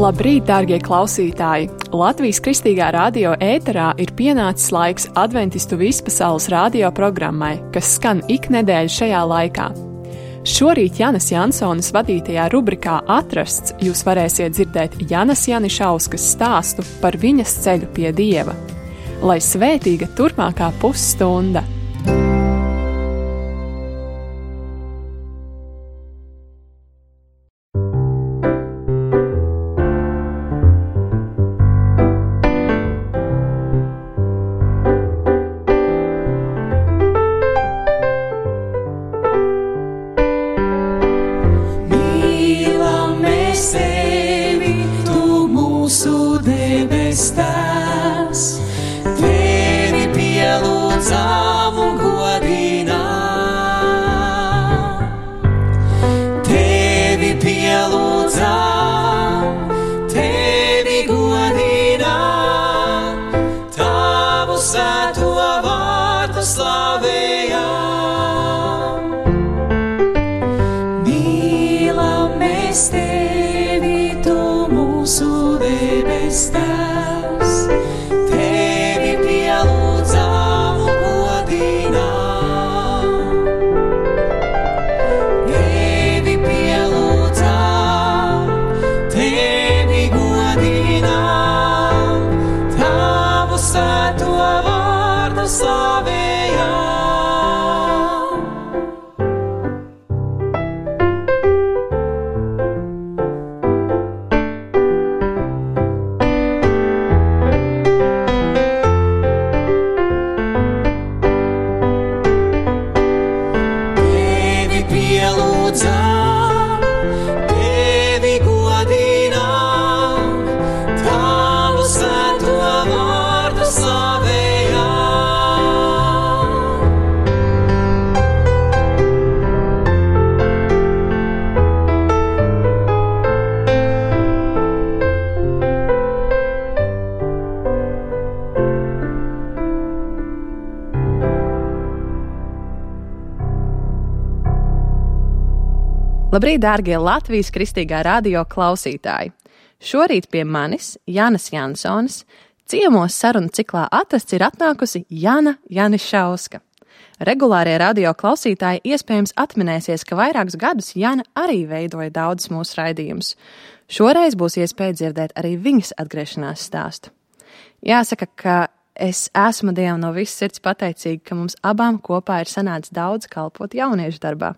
Labrīt, dārgie klausītāji! Latvijas Kristīgā radio ēterā ir pienācis laiks Adventistu vispasaules radio programmai, kas skan ik nedēļu šajā laikā. Šorīt Janas Jansonas vadītajā rubrikā Atrasts jūs varēsiet dzirdēt Janas Janišauskas stāstu par viņas ceļu pie Dieva. Lai svētīga turpmākā pusstunda! Labrīt, dārgie Latvijas Kristīgā radio klausītāji! Šorīt pie manis, Janas Jansonas, ciemos sarunu ciklā Atrasts ir atnākusi Jana Janišauska. Regulārie radio klausītāji iespējams atminēsies, ka vairākus gadus Jana arī veidoja daudzus mūsu raidījumus. Šoreiz būs iespēja dzirdēt arī viņas atgriešanās stāstu. Jāsaka, ka es esmu Dievam no visas sirds pateicīga, ka mums abām kopā ir sanācis daudz kalpot jauniešu darbā.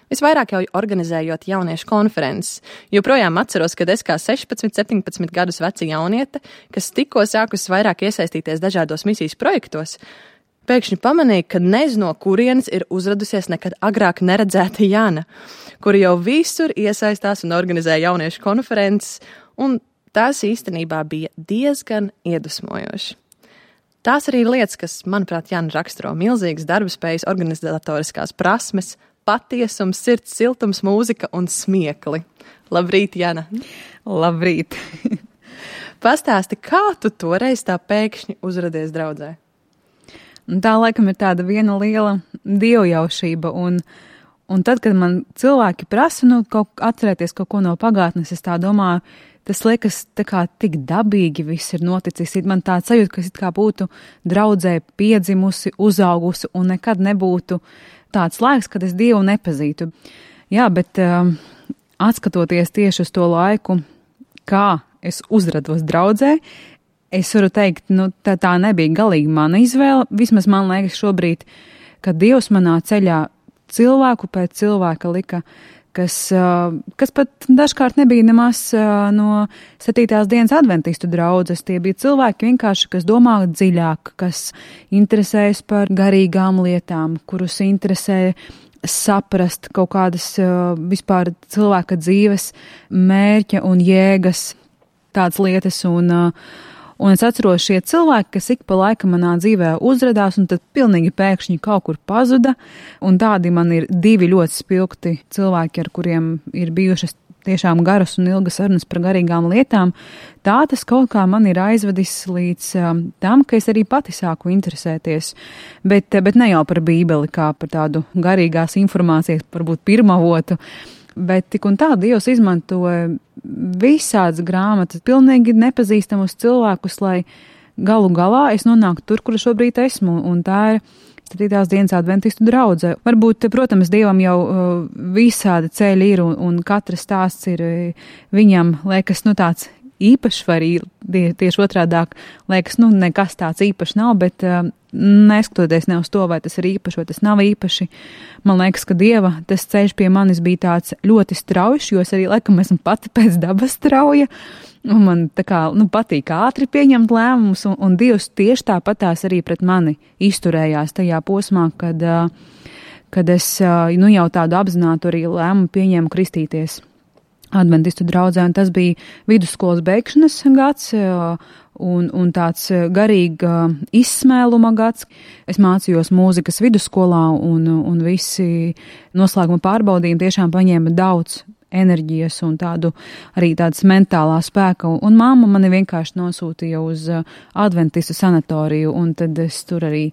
Visvairāk jau organizējot jauniešu konferences. Joprojām atceros, kad es kā 16, 17 gadus veca jauniete, kas tikko sākusi vairāk iesaistīties dažādos misijas projektos, pēkšņi pamanīju, ka nezinu, no kurienes ir uzradusies nekad agrāk neredzēta Jana, kura jau visur iesaistās un organizē jauniešu konferences, un tās īstenībā bija diezgan iedvesmojoši. Tās arī ir lietas, kas, manuprāt, Jana raksturo milzīgas darbspējas, organizatoriskās prasmes, patiesums, sirds siltums, mūzika un smiekli. Labrīt, Jana! Labrīt! Pastāsti, kā tu toreiz tā pēkšņi uzradies draudzē? Tā laikam ir tāda viena liela dievjaušība, un tad, kad man cilvēki prasa, atcerēties kaut ko no pagātnes, es tā domāju, tas liekas tā kā tik dabīgi viss ir noticis. Man tā sajūta, ka es it kā būtu draudzē piedzimusi, uzaugusi un nekad nebūtu tāds laiks, kad es Dievu nepazītu. Jā, bet atskatoties tieši uz to laiku, kā es uzrados draudzē, es varu teikt, tā nebija galīgi mana izvēle. Vismaz man liekas šobrīd, ka Dievs manā ceļā cilvēku pēc cilvēka lika, kas pat dažkārt nebija nemaz no 7. dienas adventistu draudzes. Tie bija cilvēki vienkārši, kas domā dziļāk, kas interesējas par garīgām lietām, kurus interesē saprast kaut kādas vispār cilvēka dzīves mērķa un jēgas, tādas lietas. Un es atceros šie cilvēki, kas ik pa laikam manā dzīvē uzradās un tad pilnīgi pēkšņi kaut kur pazuda. Un tādi man ir 2 ļoti spilgti cilvēki, ar kuriem ir bijušas tiešām garas un ilgas sarunas par garīgām lietām. Tā tas kaut kā man ir aizvedis līdz tam, ka es arī pati sāku interesēties. Bet ne jau par Bībeli kā par tādu garīgās informācijas, varbūt pirmavotu, Bet tik un tā Dievs izmantoja visādas grāmatas, pilnīgi nepazīstamus cilvēkus, lai galu galā es nonāku tur, kur šobrīd esmu, un tā ir 7. dienas adventistu draudze. Varbūt, protams, Dievam jau visādi ceļi ir, un katrs stāsts ir viņam, liekas, tāds īpašs, vai arī tieši otrādāk, liekas, nekas tāds īpašs nav, bet neskatoties ne uz to, vai tas ir īpaši, vai tas nav īpaši, man liekas, ka Dieva tas ceļš pie manis bija tāds ļoti straujš, jo es arī, laikam, esmu pati pēc dabas strauja, un man patīk ātri pieņemt lēmumus, un Dievs tieši tāpatās arī pret mani izturējās tajā posmā, kad es jau tādu apzinātu arī lēmumu pieņēmu kristīties adventistu draudzē, un tas bija vidusskolas beigšanas gads un tāds garīga izsmēluma gads. Es mācījos mūzikas vidusskolā, un visi noslēguma pārbaudījumi tiešām paņēma daudz enerģijas un arī tādas mentālā spēka, un mamma mani vienkārši nosūtīja uz adventistu sanatoriju, un tad es tur arī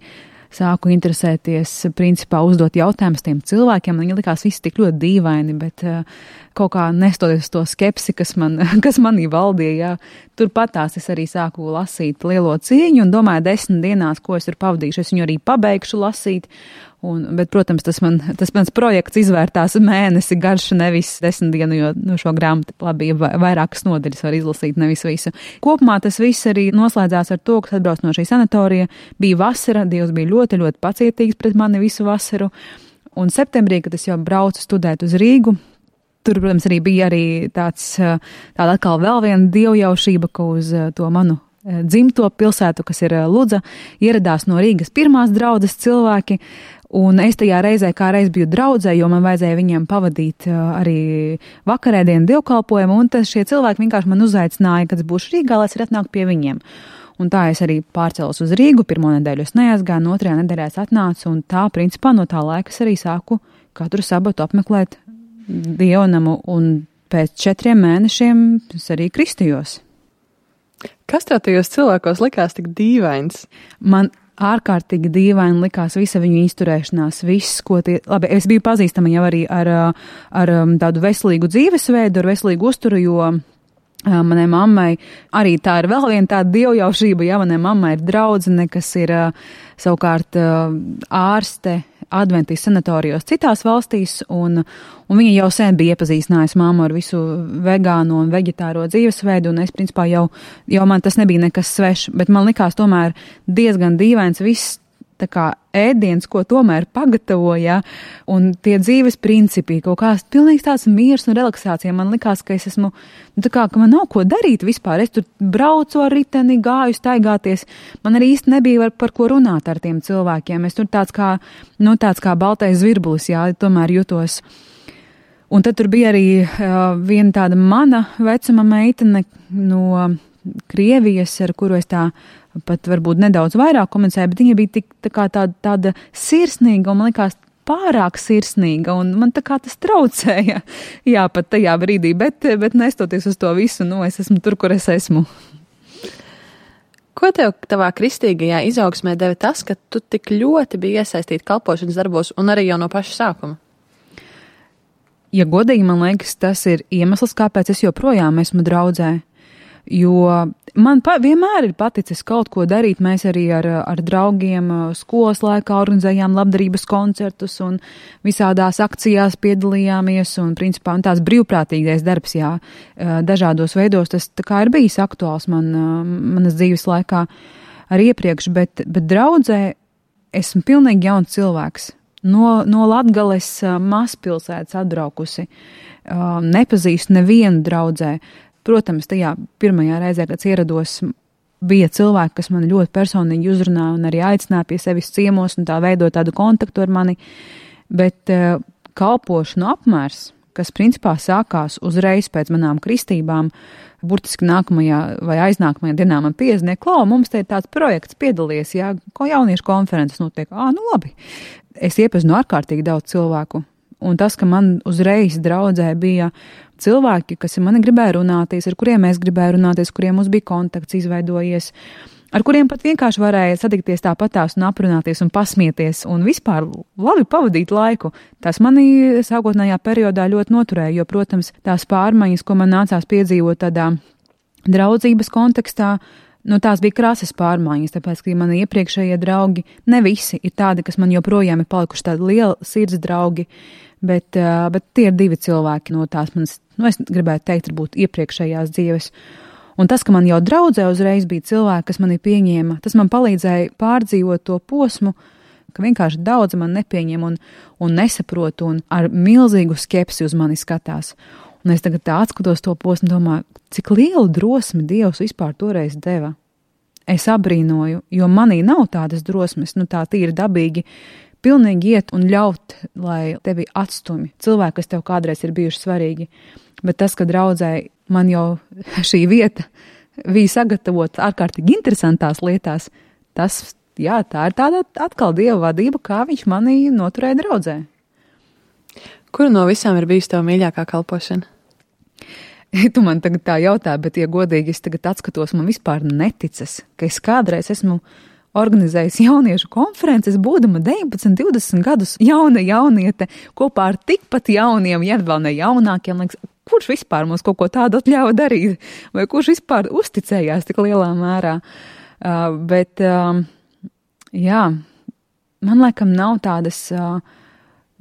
sāku interesēties, principā uzdot jautājumus tiem cilvēkiem. Viņi likās visi tik ļoti dīvaini, bet kaut kā nestoties to skepsi, kas manī valdīja, turpatās es arī sāku lasīt Lielo cīņu un domāju 10 dienās, ko es ir pavadījuši. Es viņu arī pabeigšu lasīt. Bet, protams, tas mans projekts izvērtās mēnesi garš, nevis 10 dienu, jo šo grāmatu labi vairākas nodaļas var izlasīt, nevis visu. Kopumā tas viss arī noslēdzās ar to, ka atbrauc no šī sanatorija. Bija vasara, Dievs bija ļoti, ļoti pacietīgs pret mani visu vasaru. Un septembrī, kad es jau braucu studēt uz Rīgu, tur, protams, arī bija tāda atkal vēl viena dievjaušība, ka uz to manu dzimto pilsētu, kas ir Ludza, ieradās no Rīgas pirmās draudzes cilvēki. Un es tajā reizē kā reiz biju draudzē, jo man vajadzēja viņiem pavadīt arī vakarēdienu dievkalpojumu, un šie cilvēki vienkārši man uzaicināja, kad es būšu Rīgā, lai es arī atnāku pie viņiem. Un tā es arī pārcēlos uz Rīgu, pirmo nedēļu es neaizgāju, no otrajā nedēļā es atnācu, un tā, principā, no tā laika es arī sāku katru sabatu apmeklēt dievnamu, un pēc 4 mēnešiem es arī kristījos. Kas tev tajos cilvēkos likās tik dīvains? Man ārkārtīgi dīvaini likās visa viņu izturēšanās, viss, ko labi, es biju pazīstama jau arī ar tādu veselīgu dzīvesveidu, ar veselīgu uzturu, jo manai mammai arī tā ir vēl viena tāda dievjaušība, ja manai mammai ir draudzene, kas ir savukārt ārste adventistu sanatorijos citās valstīs, un viņa jau sen bija iepazīstinājusi mammu ar visu vegāno un veģetāro dzīvesveidu, un es, principā, jau man tas nebija nekas svešs, bet man likās tomēr diezgan dīvains viss tā kā ēdiens, ko tomēr pagatavoja, un tie dzīves principi, kaut kāds pilnīgs tāds miers un relaksācija. Man likās, ka es esmu, ka man nav ko darīt vispār. Es tur braucu ar riteni, gāju staigāties. Man arī īsti nebija par ko runāt ar tiem cilvēkiem. Es tur tāds kā baltais zvirbulis, jā, tomēr jutos. Un tad tur bija arī viena tāda mana vecuma meitene no Krievijas, ar kuru es tā pat varbūt nedaudz vairāk komunicēju, bet viņa bija tik tāda sirsnīga, un man likās pārāk sirsnīga, un man tā kā tas traucēja, jā, pat tajā brīdī, bet nestoties uz to visu, es esmu tur, kur es esmu. Ko tev tavā kristīgajā izaugsmē deva tas, ka tu tik ļoti biji iesaistīta kalpošanas darbos un arī jau no paša sākuma? Ja godīgi, man liekas, tas ir iemesls, kāpēc es joprojām esmu draudzē. Jo man vienmēr ir paticis kaut ko darīt. Mēs arī ar draugiem skolas laikā organizējām labdarības koncertus un visādās akcijās piedalījāmies, un principā tās brīvprātīgais darbs, jā, dažādos veidos, tas tā kā ir bijis aktuāls manas dzīves laikā arī iepriekš, bet draudzē esmu pilnīgi jauns cilvēks. No Latgales mazpilsētas atbraukusi, nepazīstu nevienu draudzē. Protams, tajā pirmajā reizē, kad ierados, bija cilvēki, kas mani ļoti personīgi uzrunāja un arī aicināja pie sevis ciemos un tā veidot tādu kontaktu ar mani, bet kalpošanu apmērs, kas principā sākās uzreiz pēc manām kristībām, burtiski nākamajā vai aiznākamajā dienā man piezvanīja, Klau, mums te ir tāds projekts, piedalies, jā, ko jauniešu konferences notiek. Labi. Es iepazinu ārkārtīgi daudz cilvēku. Un tas, ka man uzreiz draudzē bija cilvēki, kas mani gribēja runāties, ar kuriem es gribēju runāties, kuriem mums bija kontakts izveidojies, ar kuriem pat vienkārši varēja satikties tāpatās un aprunāties un pasmieties un vispār labi pavadīt laiku. Tas manī sākotnējā periodā ļoti noturēja, jo, protams, tās pārmaiņas, ko man nācās piedzīvot tādā draudzības kontekstā, tās bija krāsas pārmaiņas, tāpēc, ka mani iepriekšējie draugi, ne visi ir tādi, kas man joprojām ir palikuši tādi lieli sirds draugi, bet tie ir 2 cilvēki no tās manas, es gribētu teikt, varbūt iepriekšējās dzīves. Un tas, ka man jau draudzē uzreiz bija cilvēki, kas mani pieņēma, tas man palīdzēja pārdzīvot to posmu, ka vienkārši daudz man nepieņem un nesaprot un ar milzīgu skepsi uz mani skatās. Un es tagad tā atskatos to posmu un domāju, cik lielu drosmi Dievs vispār toreiz deva. Es abrīnoju, jo manī nav tādas drosmes, tā tīri dabīgi, pilnīgi iet un ļaut, lai tevi atstumj cilvēki, kas tev kādreiz ir bijuši svarīgi. Bet tas, ka draudzēji man jau šī vieta bija sagatavota ārkārtīgi interesantās lietās, tā ir tāda atkal Dieva vadība, kā viņš mani noturēja draudzē. Kura no visām ir bijusi tava mīļākā kalpošana? Tu man tagad tā jautā, bet, ja godīgi es tagad atskatos, man vispār neticas, ka es kādreiz esmu organizējis jauniešu konferences, būdama 19, 20 gadus jauniete, kopā ar tikpat jauniem, ja vēl ne jaunākiem, liekas, kurš vispār mums kaut ko tādu atļāva darīt, vai kurš vispār uzticējās tik lielā mērā. Jā, man laikam nav tādas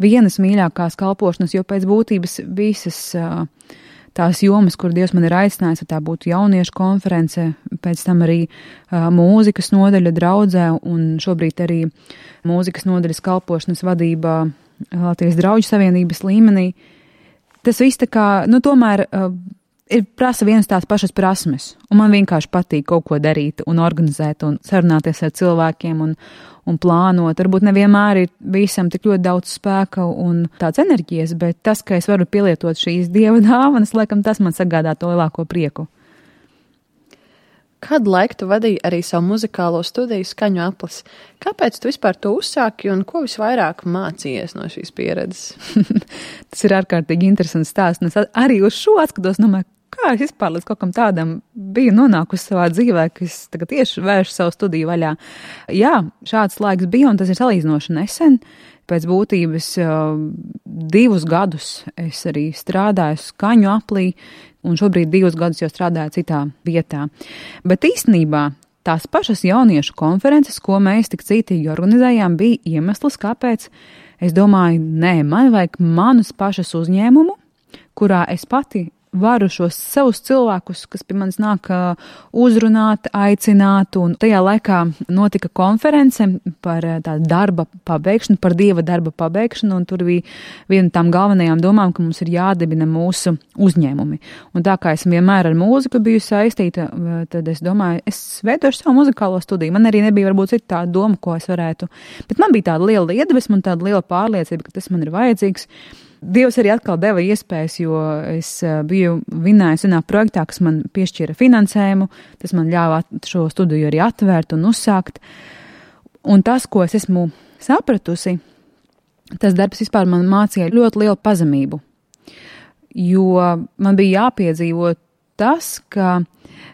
vienas mīļākās kalpošanas, jo pēc būtības visas tās jomas, kur Dievs man ir aicinājis, tā būtu jauniešu konference, pēc tam arī mūzikas nodaļa draudzē un šobrīd arī mūzikas nodaļas kalpošanas vadībā Latvijas Drauģu savienības līmenī. Tas viss tā kā, tomēr prasa vienas tās pašas prasmes, un man vienkārši patīk kaut ko darīt un organizēt un sarunāties ar cilvēkiem un plānot. Varbūt nevienmēr ir visam tik ļoti daudz spēka un tāds enerģijas, bet tas, ka es varu pielietot šīs Dieva dāvanas, laikam tas man sagādā to lielāko prieku. Kādu laiku tu vadīji arī savu muzikālo studiju Skaņu aplis? Kāpēc tu vispār to uzsāki un ko visvairāk mācījies no šīs pieredzes? Tas ir ārkārtīgi interesants stāsts. Es arī uz šo atskatos, domāju, kā es vispār līdz kaut kam tādam biju nonākusi savā dzīvē, ka es tagad tieši vēršu savu studiju vaļā. Jā, šāds laiks bija, un tas ir salīdzinoši nesen. Pēc būtības 2 gadus es arī strādāju Skaņu aplī, un šobrīd 2 gadus jau strādāju citā vietā. Bet īstenībā tās pašas jauniešu konferences, ko mēs tik cītīgi organizējām, bija iemesls, kāpēc es domāju, man vajag manus pašas uzņēmumu, kurā es pati varu šos savus cilvēkus, kas pie manis nāk uzrunāt, aicināt, un tajā laikā notika konference par tādu darba pabeigšanu, par Dieva darba pabeigšanu, un tur bija viena no tām galvenajām domām, ka mums ir jādibina mūsu uzņēmumi. Un tā kā esmu vienmēr ar mūziku biju saistīta, tad es domāju, es veidošu savu muzikālo studiju. Man arī nebija varbūt cita tāda doma, ko es varētu, bet man bija tāda liela iedvesma un tāda liela pārliecība, ka tas man ir vajadzīgs. Dievs arī atkal deva iespējas, jo es biju vinnējusi vienā projektā, kas man piešķīra finansējumu, tas man ļāva šo studiju arī atvērt un uzsākt. Un tas, ko es esmu sapratusi, tas darbs vispār man mācīja ļoti lielu pazemību, jo man bija jāpiedzīvo tas, ka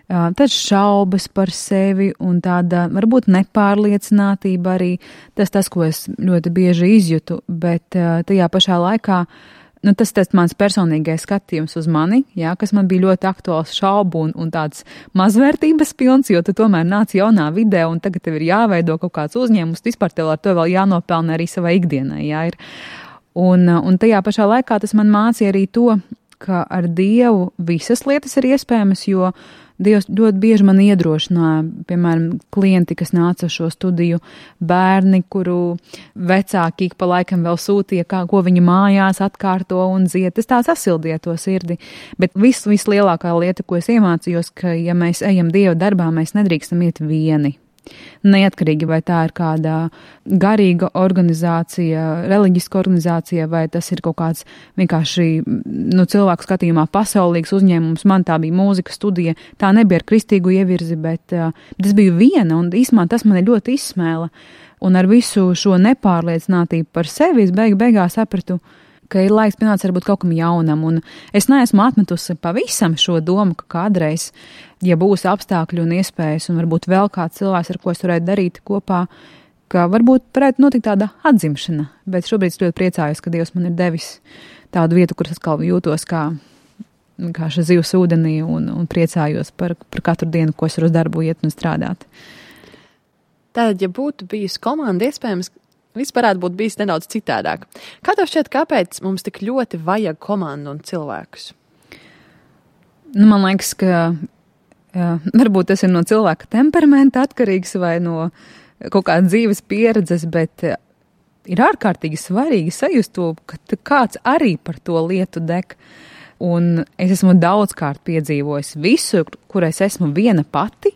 tad šaubas par sevi un tāda varbūt nepārliecinātība arī tas, ko es ļoti bieži izjūtu, bet tajā pašā laikā, tas mans personīgais skatījums uz mani, jā, kas man bija ļoti aktuāls šaubu un tāds mazvērtības pilns, jo tu tomēr nāc jaunā vidē un tagad tev ir jāveido kaut kāds uzņēmums, vispār tev ar to vēl jānopelna arī savai ikdienai, jā, ir. Un tajā pašā laikā tas man mācīja arī to, ka ar Dievu visas lietas ir iespējamas, jo Dievs ļoti bieži man iedrošināja, piemēram, klienti, kas nāca uz šo studiju, bērni, kuru vecāki ik pa laikam vēl sūtīja, ko viņi mājās atkārto un dzied. Tas tā sasildīja to sirdi. Bet vislielākā lieta, ko es iemācījos, ka ja mēs ejam Dieva darbā, mēs nedrīkstam iet vieni. Neatkarīgi, vai tā ir kāda garīga organizācija, reliģiska organizācija, vai tas ir kaut kāds vienkārši cilvēku skatījumā pasaulīgs uzņēmums. Man tā bija mūzikas studija, tā nebija ar kristīgu ievirzi, bet es biju viena, un īsumā tas mani ļoti izsmēla. Un ar visu šo nepārliecinātību par sevi es beigās sapratu, ka ir laiks pienācis varbūt kaut kam jaunam, un es neesmu atmetusi pavisam šo domu, ka kādreiz, ja būs apstākļi un iespējas, un varbūt vēl kāds cilvēks, ar ko es varētu darīt kopā, ka varbūt varētu notikt tāda atzimšana, bet šobrīd es ļoti priecājos, ka Dievs man ir devis tādu vietu, kur es atkal jūtos kā šis zivs ūdenī, un priecājos par katru dienu, ko es varu uz darbu iet un strādāt. Tātad, ja būtu bijusi komanda, iespējams, viss varētu būt bijis nedaudz citādāk. Kā tev šķiet, kāpēc mums tik ļoti vajag komandu un cilvēkus? Man liekas, ka varbūt tas ir no cilvēka temperamenta atkarīgs vai no kaut kāda dzīves pieredzes, bet ir ārkārtīgi svarīgi sajust to, ka kāds arī par to lietu deg. Un es esmu daudzkārt piedzīvojis visu, kur es esmu viena pati.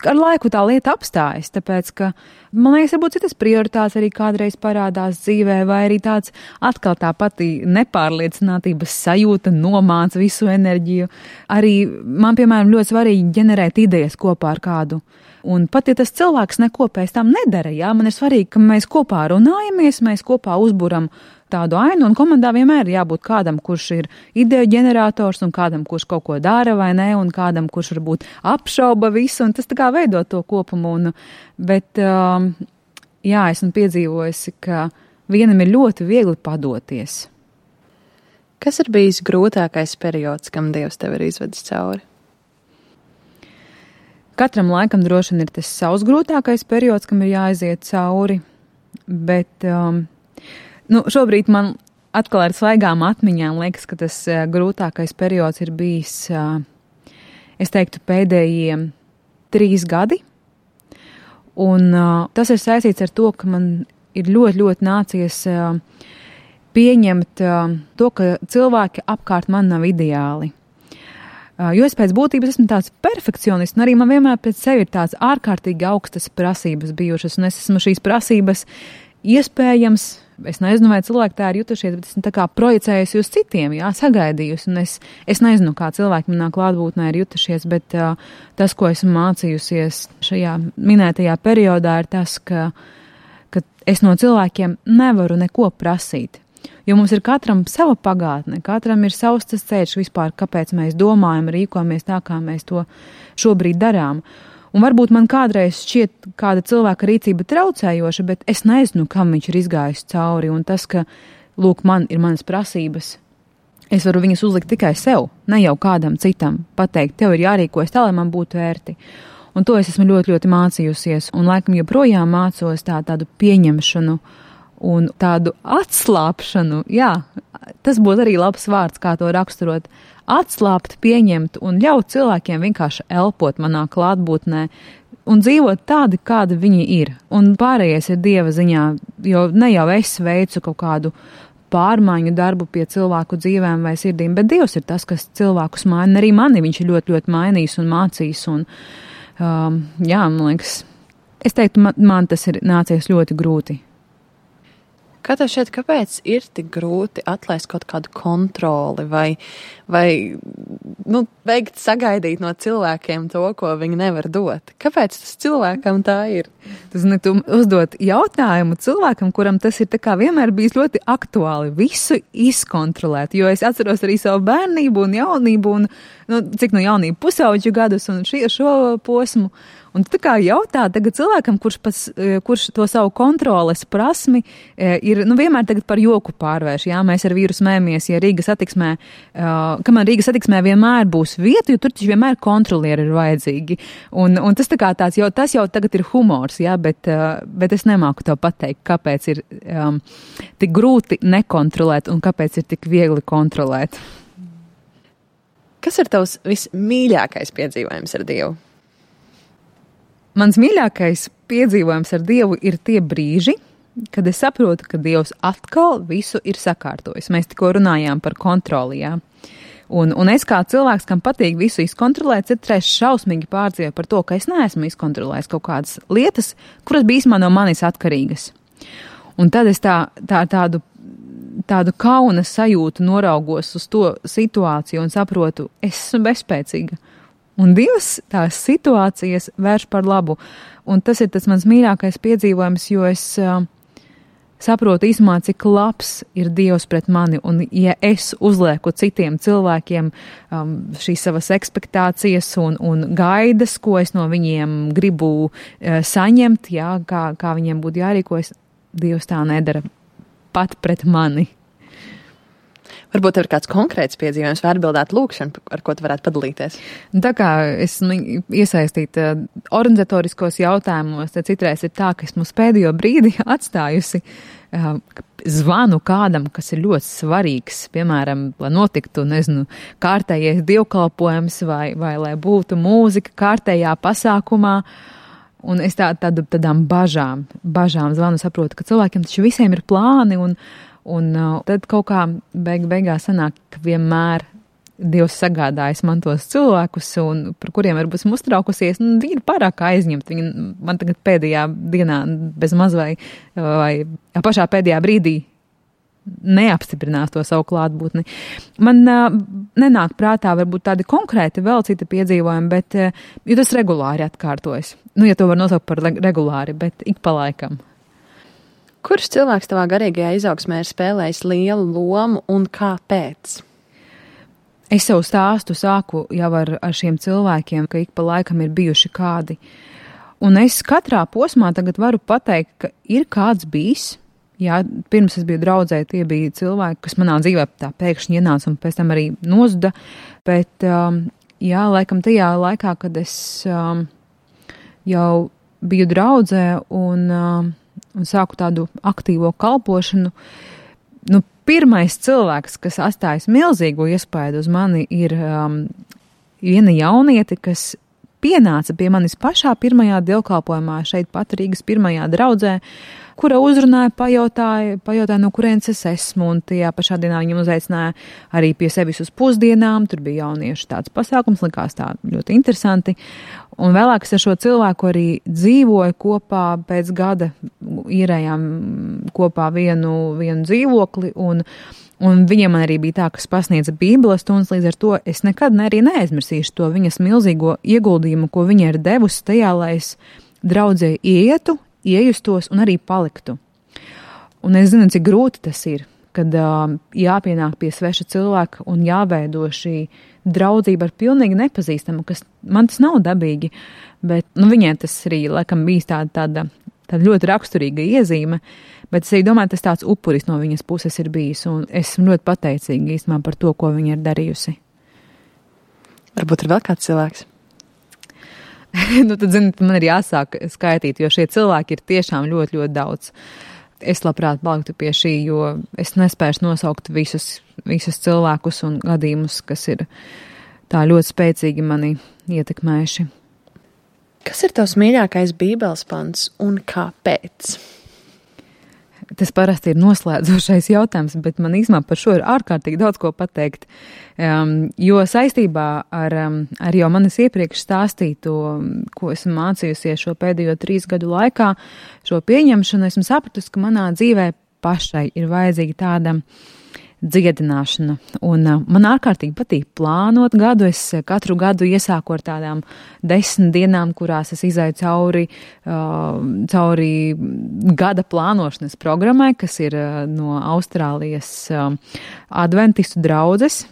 Ar laiku tā lieta apstājas, tāpēc, ka, man liekas, varbūt citas prioritātes arī kādreiz parādās dzīvē, vai arī tāds atkal tā pati nepārliecinātības sajūta nomāca visu enerģiju. Arī man, piemēram, ļoti svarīgi ģenerēt idejas kopā ar kādu. Un pat, ja tas cilvēks neko pēc tam nedara, man ir svarīgi, ka mēs kopā runājamies, mēs kopā uzburam tādu ainu, un komandā vienmēr ir jābūt kādam, kurš ir ideju ģenerators, un kādam, kurš kaut ko dara vai ne, un kādam, kurš varbūt apšauba visu, un tas tā kā veido to kopumu. Bet, esmu piedzīvojusi, ka vienam ir ļoti viegli padoties. Kas ir bijis grūtākais periods, kam Dievs tev ir izvedis cauri? Katram laikam droši vien ir tas savs grūtākais periods, kam ir jāaiziet cauri, bet šobrīd man atkal ar svaigām atmiņām liekas, ka tas grūtākais periods ir bijis, es teiktu, pēdējie 3 gadi. Un tas ir saistīts ar to, ka man ir ļoti, ļoti nācies pieņemt to, ka cilvēki apkārt man nav ideāli. Jo es pēc būtības esmu tāds perfekcionists, un arī man vienmēr pēc sevi ir tāds ārkārtīgi augstas prasības bijušas, un es esmu šīs prasības iespējams, es nezinu, vai cilvēki tā ir jutušies, bet esmu tā kā projicējusi uz citiem, sagaidījusi, un es nezinu, kā cilvēki manā klātbūtnē ir jutušies, bet tas, ko esmu mācījusies šajā minētajā periodā, ir tas, ka es no cilvēkiem nevaru neko prasīt. Jo mums ir katram sava pagātne, katram ir savs tas ceļš vispār, kāpēc mēs domājam, rīkojamies tā, kā mēs to šobrīd darām. Un varbūt man kādreiz šķiet kāda cilvēka rīcība traucējoša, bet es nezinu, kam viņš ir izgājis cauri. Un tas, ka, lūk, man ir manas prasības, es varu viņas uzlikt tikai sev, ne jau kādam citam pateikt, tev ir jārīkojas tā, lai man būtu ērti. Un to es esmu ļoti, ļoti mācījusies, un laikam joprojām mācos tādu pieņemšanu un tādu atslāpšanu, tas būtu arī labs vārds, kā to raksturot, atslāpt, pieņemt un ļaut cilvēkiem vienkārši elpot manā klātbūtnē un dzīvot tādi, kādi viņi ir. Un pārējais ir Dieva ziņā, jo ne jau es veicu kaut kādu pārmaiņu darbu pie cilvēku dzīvēm vai sirdīm, bet Dievs ir tas, kas cilvēkus maina, arī mani viņš ir ļoti, ļoti mainījis un mācījis. Un, man liekas, es teiktu, man tas ir nācies ļoti grūti. Kā tev šķiet, kāpēc ir tik grūti atlaist kaut kādu kontroli vai veikt sagaidīt no cilvēkiem to, ko viņi nevar dot? Kāpēc tas cilvēkam tā ir? Tu uzdot jautājumu cilvēkam, kuram tas ir tā kā vienmēr bijis ļoti aktuāli, visu izkontrolēt, jo es atceros arī savu bērnību un jaunību un, jaunību pusauģu gadus un šo posmu. Un tu tā kā jautā tagad cilvēkam, kurš to savu kontroles prasmi ir, vienmēr tagad par joku pārvērš, Mēs ar vīru smējamies, ja Rīgas satiksmē, kamēr Rīgas satiksmē vienmēr būs vieta, jo tur taču vienmēr kontrolieri ir vajadzīgi. Un tas tā kā tāds, tas jau tagad ir humors, bet es nemāku tev pateikt, kāpēc ir tik grūti nekontrolēt un kāpēc ir tik viegli kontrolēt. Kas ir tavs vismīļākais piedzīvojums ar Dievu? Mans mīļākais piedzīvojums ar Dievu ir tie brīži, kad es saprotu, ka Dievs atkal visu ir sakārtojis. Mēs tikko runājām par kontroli, Un es kā cilvēks, kam patīk visu izkontrolēt, citreiz šausmīgi pārdzīvoju par to, ka es neesmu izkontrolējis kaut kādas lietas, kuras bija īstenībā no manis atkarīgas. Un tad es tādu kauna sajūtu noraugos uz to situāciju un saprotu, es esmu bezspēcīga. Un Dievs tās situācijas vērš par labu. Un tas ir tas mans mīļākais piedzīvojums, jo es saprotu īsumā, cik labs ir Dievs pret mani, un ja es uzlieku citiem cilvēkiem šīs savas ekspektācijas un gaidas, ko es no viņiem gribu saņemt, jā, kā viņiem būtu jārīkojas, Dievs tā nedara pat pret mani. Varbūt ir kāds konkrēts piedzīvojums vai atbildēt lūkšanu, ar ko tu varētu padalīties? Tā kā esmu iesaistīta organizatoriskos jautājumos, tad citreiz ir tā, ka esmu pēdējo brīdi atstājusi zvanu kādam, kas ir ļoti svarīgs, piemēram, lai notiktu, kārtējais dievkalpojums vai lai būtu mūzika kārtējā pasākumā. Un es tādām bažām zvanu, saprotu, ka cilvēkiem taču visiem ir plāni un tad kaut kā beigās sanāk, ka vienmēr Dievs sagādājas man tos cilvēkus, un par kuriem varbūt esmu uztraukusies, viņi ir pārāk aizņemti. Viņi man tagad pēdējā dienā bez maz vai pašā pēdējā brīdī neapstiprinās to savu klātbūtni. Man nenāk prātā varbūt tādi konkrēti vēl citi piedzīvojumi, bet jo tas regulāri atkārtojas. Ja to var nosaukt par regulāri, bet ik pa laikam. Kurš cilvēks tavā garīgajā izaugsmē ir spēlējis lielu lomu un kāpēc? Es savu stāstu sāku jau ar šiem cilvēkiem, ka ik pa laikam ir bijuši kādi. Un es katrā posmā tagad varu pateikt, ka ir kāds bijis. Jā, pirms es biju draudzē, tie bija cilvēki, kas manā dzīvē tā pēkšņi ienāca un pēc tam arī nozuda. Bet, jā, laikam tajā laikā, kad es jau biju draudzē un sāku tādu aktīvo kalpošanu, pirmais cilvēks, kas atstājas milzīgu iespaidu uz mani, ir viena jauniete, kas pienāca pie manis pašā pirmajā dievkalpojumā šeit pat Rīgas pirmajā draudzē, kura uzrunāja, pajautāja, no kurienes es esmu, un tajā pašā dienā viņam uzaicināja arī pie sevis uz pusdienām, tur bija jauniešu tāds pasākums, likās tā ļoti interesanti, un vēlāk es ar šo cilvēku arī dzīvoju kopā pēc gada, īrējām kopā vienu dzīvokli, un viņiem man arī bija tā, kas pasniedza Bībeles stundas, līdz ar to es nekad arī neaizmirsīšu to viņas milzīgo ieguldījumu, ko viņa ir devusi tajā, lai es draudzē ietu, iejustos un arī paliktu. Un es zinu, cik grūti tas ir, kad jāpienāk pie sveša cilvēka un jāveido šī draudzība ar pilnīgi nepazīstamu, kas man tas nav dabīgi, bet viņai tas arī laikam bijis tāda ļoti raksturīga iezīme, bet es arī domāju, tas tāds upuris no viņas puses ir bijis, un esmu ļoti pateicīga īstenībā par to, ko viņa ir darījusi. Varbūt ir vēl kāds cilvēks? Tad, man ir jāsāk skaitīt, jo šie cilvēki ir tiešām ļoti, ļoti daudz. Es labprāt paliktu pie šī, jo es nespēšu nosaukt visus cilvēkus un gadījumus, kas ir tā ļoti spēcīgi mani ietekmējuši. Kas ir tavs mīļākais Bībeles pants un kāpēc? Tas parasti ir noslēdzošais jautājums, bet man īstenībā par šo ir ārkārtīgi daudz ko pateikt, jo saistībā ar jau manis iepriekš stāstīto, ko esmu mācījusies šo pēdējo 3 gadu laikā, šo pieņemšanu, esmu sapratusi, ka manā dzīvē pašai ir vajadzīga tāda dziedināšana. Un man ārkārtīgi patīk plānot gadu. Es katru gadu iesāku ar tādām 10 dienām, kurās es izēju cauri gada plānošanas programmai, kas ir no Austrālijas adventistu draudzes.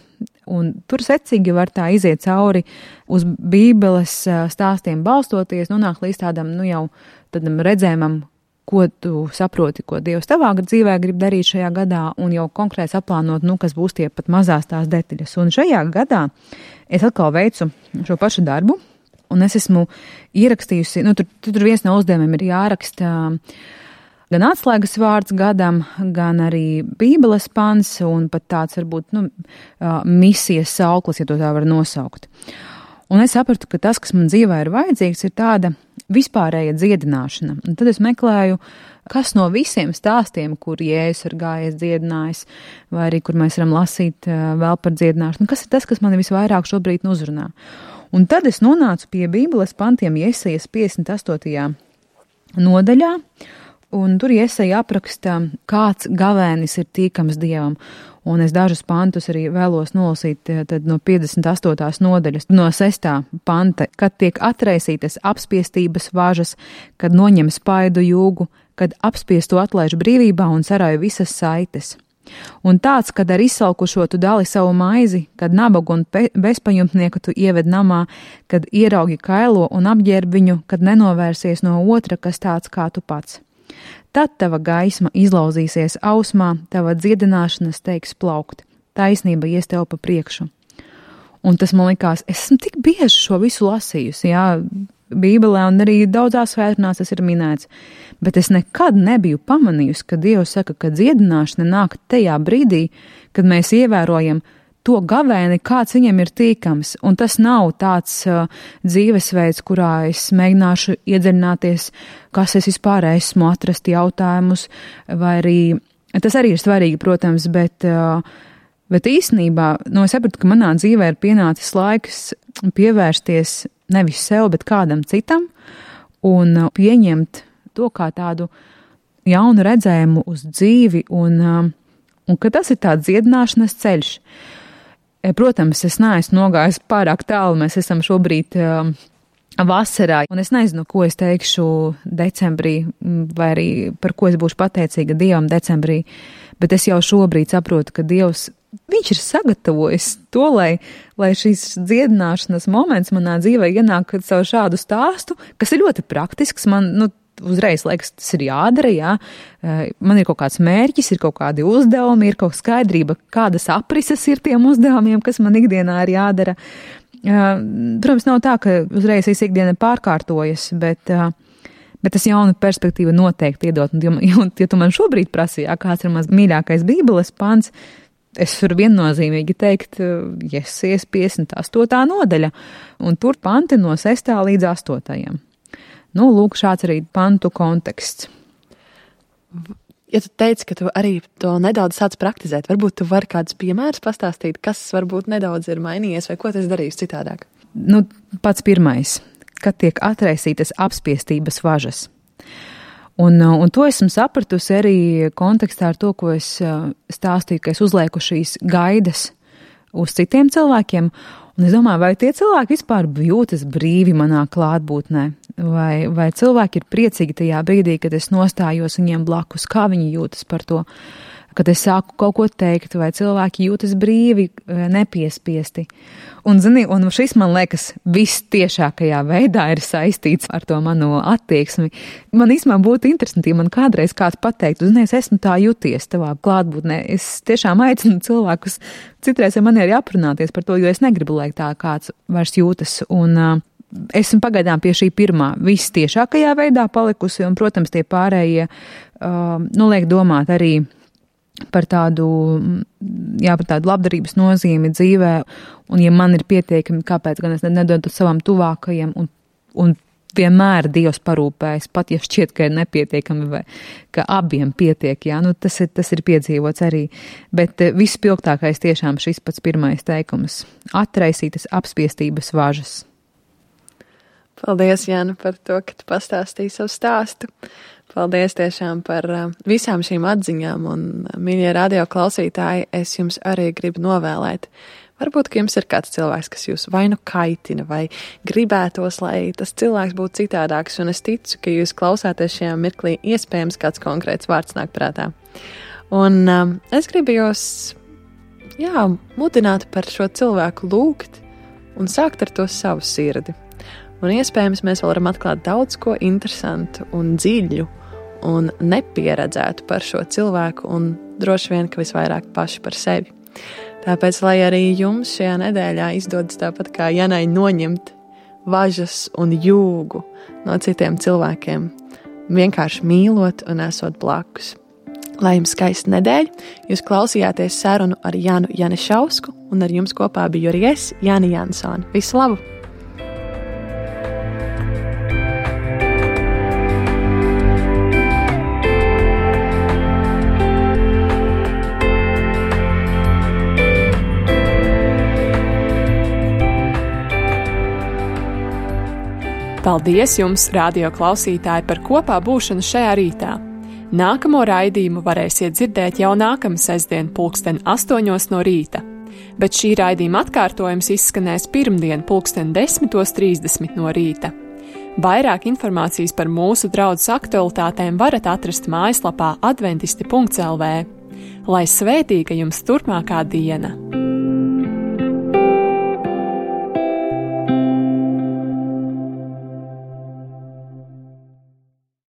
Un tur secīgi var tā iziet cauri uz Bībeles stāstiem balstoties, nonāk līdz tādam, tādam redzējumam, ko tu saproti, ko Dievs tavā dzīvē grib darīt šajā gadā, un jau konkrēti saplānot, kas būs tie pat mazās tās detaļas. Un šajā gadā es atkal veicu šo pašu darbu, un es esmu ierakstījusi, tur viens no uzdevumiem ir jāraksta gan atslēgas vārds gadam, gan arī Bībeles pants, un pat tāds varbūt, misijas sauklis, ja to tā var nosaukt. Un es sapratu, ka tas, kas man dzīvē ir vajadzīgs, ir tāda vispārēja dziedināšana. Un tad es meklēju, kas no visiem stāstiem, kur Jēzus ir gājis dziedinājis, vai arī kur mēs varam lasīt vēl par dziedināšanu, kas ir tas, kas mani visvairāk šobrīd uzrunā. Un tad es nonācu pie Bībeles pantiem Jesajas 58. nodaļā, un tur Jesaja apraksta, kāds gavēnis ir tīkams Dievam. Un es dažus pantus arī vēlos nolasīt tad no 58. nodaļas, no 6. panta, kad tiek atraisītas apspiestības važas, kad noņem spaidu jūgu, kad apspiestu atlaiž brīvībā un sarāju visas saites. Un tāds, kad ar izsalkušo tu dali savu maizi, kad nabagu un bezpajumtnieku tu ieved namā, kad ieraugi kailo un apģērb viņu, kad nenovērsies no otra, kas tāds kā tu pats. Tad tava gaisma izlauzīsies ausmā, tava dziedināšana steigs plaukt, taisnība ies tev pa priekšu. Un tas man likās, es esmu tik bieži šo visu lasījusi, jā, Bībelē un arī daudzās svētdienās tas ir minēts, bet es nekad nebiju pamanījusi, ka Dievs saka, ka dziedināšana nāk tajā brīdī, kad mēs ievērojam to gavēni, kāds viņam ir tīkams, un tas nav tāds dzīvesveids, kurā es mēģināšu iedziļināties, kas es vispār esmu, atrast jautājumus, vai arī, tas arī ir svarīgi, protams, bet īstenībā, es sapratu, ka manā dzīvē ir pienācis laiks pievērsties nevis sev, bet kādam citam, un pieņemt to kā tādu jaunu redzējumu uz dzīvi, un ka tas ir tāds dziedināšanas ceļš. Protams, es neesmu nogājis pārāk tālu, mēs esam šobrīd vasarā, un es nezinu, ko es teikšu decembrī, vai arī par ko es būšu pateicīga Dievam decembrī, bet es jau šobrīd saprotu, ka Dievs, viņš ir sagatavojis to, lai šīs dziedināšanas moments manā dzīvē ienāk caur šādu stāstu, kas ir ļoti praktisks, man, uzreiz liekas, tas ir jādara, jā. Man ir kaut kāds mērķis, ir kaut kādi uzdevumi, ir kaut skaidrība, kādas aprises ir tiem uzdevumiem, kas man ikdienā ir jādara. Protams, nav tā, ka uzreiz visu ikdiena pārkārtojas, bet tas jauna perspektīva noteikti iedot. Un, ja tu man šobrīd prasīja, kāds ir mans mīļākais Bībeles pants, es varu viennozīmīgi teikt, Jesajas 58. nodaļa, un tur panti no 6. līdz 8. Lūk, šāds arī pantu konteksts. Ja tu teici, ka tu arī to nedaudz sāc praktizēt, varbūt tu vari kādus piemērus pastāstīt, kas varbūt nedaudz ir mainījies, vai ko tu esi darījis citādāk? Pats pirmais, kad tiek atraisītas apspiestības važas. Un to esmu sapratusi arī kontekstā ar to, ko es stāstīju, ka es uzlieku šīs gaidas uz citiem cilvēkiem. Un es domāju, vai tie cilvēki vispār jūtas brīvi manā klātbūtnē, vai cilvēki ir priecīgi tajā brīdī, kad es nostājos viņiem blakus, kā viņi jūtas par to, kad es sāku kaut ko teikt, vai cilvēki jūtas brīvi, nepiespiesti. Un šis, man liekas, viss tiešākajā veidā ir saistīts ar to manu attieksmi. Man īstenībā būtu interesanti, ja man kādreiz kāds pateiktu, es esmu tā juties tavā klātbūtnē. Es tiešām aicinu cilvēkus citreiz ar mani arī aprunāties par to, jo es negribu, lai tā kāds vairs jūtas. Un esmu pagaidām pie šī pirmā viss tiešākajā veidā palikusi, un, protams, tie pārējie liek domāt arī par tādu labdarības nozīmi dzīvē, un ja man ir pietiekami, kāpēc gan es nedodu savam tuvākajiem, un vienmēr Dievs parūpējas, pat ja šķiet, ka ir nepietiekami, vai ka abiem pietiek, tas ir piedzīvots arī, bet vispilgtākais tiešām šis pats pirmais teikums – atraisītas apspiestības važas. Paldies, Jāna, par to, ka tu pastāstīji savu stāstu. Paldies tiešām par visām šīm atziņām, un, mīļie radio klausītāji, es jums arī gribu novēlēt. Varbūt, ka jums ir kāds cilvēks, kas jūs vai nu kaitina, vai gribētos, lai tas cilvēks būtu citādāks, un es ticu, ka jūs klausāties šajā mirklī, iespējams kāds konkrēts vārds nāk prātā. Un es gribu jūs, mudināt par šo cilvēku lūgt un sākt ar to savu sirdi. Un iespējams mēs vēl varam atklāt daudz ko interesantu un dziļu un nepieredzētu par šo cilvēku un droši vien, ka visvairāk paši par sevi. Tāpēc, lai arī jums šajā nedēļā izdodas tāpat kā Janai noņemt važas un jūgu no citiem cilvēkiem, vienkārši mīlot un esot blakus. Lai jums skaista nedēļa, jūs klausījāties sarunu ar Janu Janišausku, un ar jums kopā biju arī es, Jāna Jansone. Visu labu! Paldies jums, radio klausītāji, par kopā būšanu šajā rītā. Nākamo raidījumu varēsiet dzirdēt jau nākamā sestdien 8:00 no rīta, bet šī raidījuma atkārtojums izskanēs pirmdien 10:30 no rīta. Vairāk informācijas par mūsu draudzes aktualitātēm varat atrast mājaslapā adventisti.lv. Lai svētīga jums turpmākā diena!